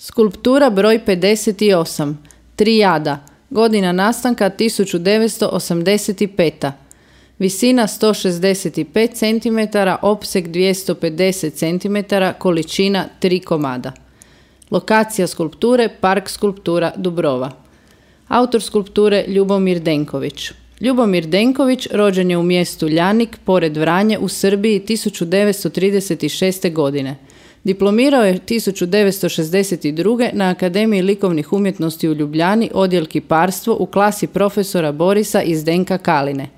Skulptura broj 58. Trijada. Godina nastanka 1985. Visina 165 cm, opseg 250 cm, količina 3 komada. Lokacija skulpture Park skulptura Dubrova. Autor skulpture Ljubomir Denković. Ljubomir Denković rođen je u mjestu Ljanik, pored Vranje, u Srbiji 1936. godine. Diplomirao je 1962. na Akademiji likovnih umjetnosti u Ljubljani, odjel kiparstvo, u klasi profesora Borisa i Zdenka Kaline.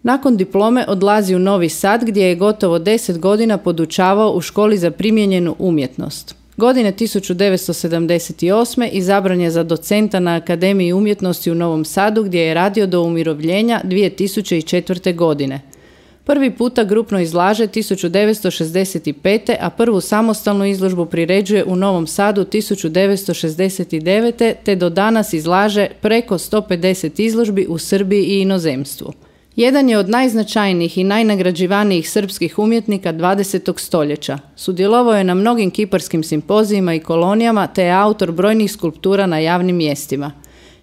Nakon diplome odlazi u Novi Sad, gdje je gotovo 10 godina podučavao u školi za primijenjenu umjetnost. Godine 1978. izabran je za docenta na Akademiji umjetnosti u Novom Sadu, gdje je radio do umirovljenja 2004. godine. Prvi puta grupno izlaže 1965. a prvu samostalnu izložbu priređuje u Novom Sadu 1969. te do danas izlaže preko 150 izložbi u Srbiji i inozemstvu. Jedan je od najznačajnijih i najnagrađivanijih srpskih umjetnika 20. stoljeća. Sudjelovao je na mnogim kiparskim simpozijima i kolonijama te je autor brojnih skulptura na javnim mjestima.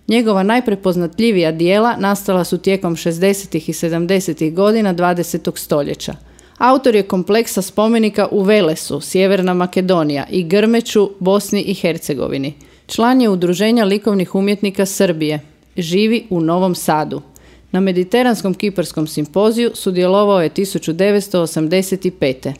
Njegova najprepoznatljivija dijela nastala su tijekom 60. i 70. godina 20. stoljeća. Autor je kompleksa spomenika u Velesu, Sjeverna Makedonija, i Grmeću, Bosni i Hercegovini. Član je Udruženja likovnih umjetnika Srbije. Živi u Novom Sadu. Na Mediteranskom kiparskom simpoziju sudjelovao je 1985.